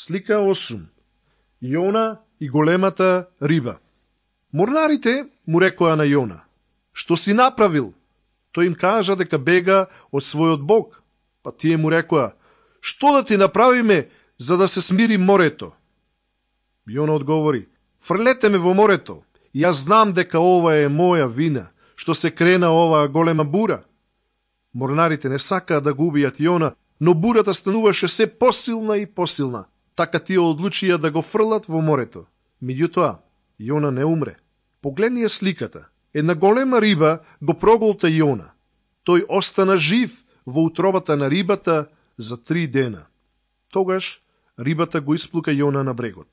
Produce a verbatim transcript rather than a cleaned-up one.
Слика осум. Јона и големата риба. Морнарите му рекоа на Јона: "Што си направил?" Тој им кажа дека бега од својот Бог. Па тие му рекоа: "Што да ти направиме за да се смири морето?" Јона одговори: "Фрлете ме во морето. Јас знам дека ова е моја вина, што се крена оваа голема бура." Морнарите не сакаа да го убијат Јона, но бурата стануваше се посилна и посилна. Така тие одлучија да го фрлат во морето. Меѓутоа, Јона не умре. Погледнија сликата. Една голема риба го проголта Јона. Тој остана жив во утробата на рибата за три дена. Тогаш рибата го исплука Јона на брегот.